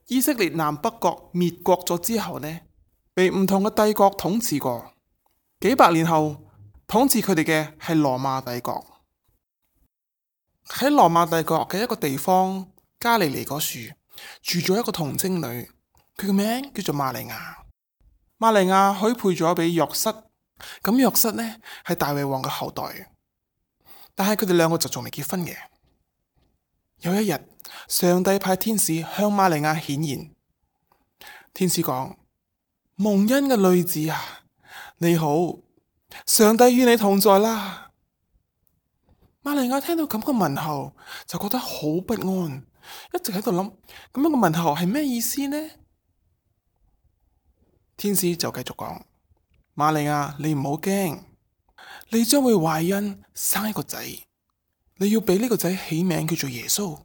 以色列南北國滅國咗之後呢，被唔同嘅帝國統治過，幾百年後統治佢哋嘅係羅馬帝國。喺羅馬帝國嘅一個地方加利利嗰處住咗一個童貞女，佢嘅名叫做瑪利亞。瑪利亞許配咗俾約瑟，咁約瑟呢係大衛王嘅後代，但係佢哋兩個就仲未結婚嘅。有一日，上帝派天使向瑪利亞顯現，天使講：蒙恩嘅女子啊，你好，上帝與你同在啦。瑪利亞聽到咁嘅問候，就覺得好不安，一直喺度諗，咁樣嘅問候係咩意思呢？天使就繼續講：瑪利亞，你唔好驚，你將會懷孕生一個仔，你要俾呢個仔起名叫做耶穌。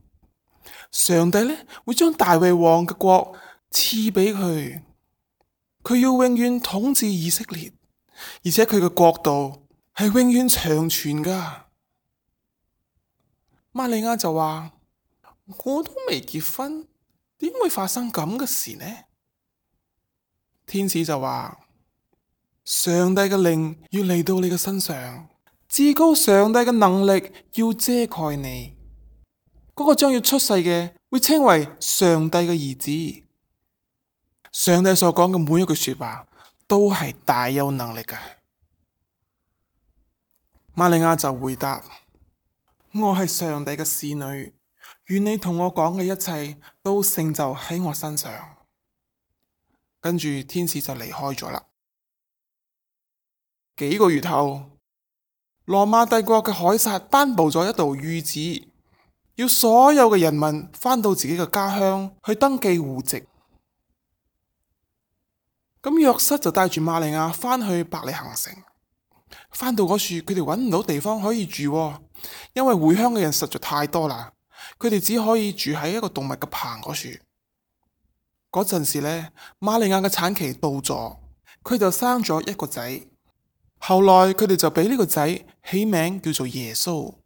上帝呢會將大衛王嘅國賜俾佢，佢要永遠統治以色列，而且佢嘅國度係永遠長存噶。瑪利亞就話：我都未結婚，點會發生咁嘅事呢？天使就話：上帝嘅靈要嚟到你嘅身上，至高上帝嘅能力要遮蓋你，嗰個將要出世嘅會稱為上帝嘅兒子。上帝所講嘅每一句說話都係大有能力嘅。瑪利亞就回答：我係上帝嘅使女，願你同我講嘅一切都成就喺我身上。跟住天使就離開咗啦。幾個月後，羅馬帝國嘅凱撒頒布咗一道諭旨，要所有嘅人民返到自己嘅家鄉去登記戶籍。咁約瑟就帶住瑪利亞返去伯利恆城。返到嗰處，佢哋揾唔到地方可以住，因為回鄉嘅人實在太多啦。佢哋只可以住喺一個動物嘅棚嗰處。嗰陣時呢，瑪利亞嘅產期到咗，佢就生咗一個仔。後來佢哋就俾呢個仔起名叫做耶穌。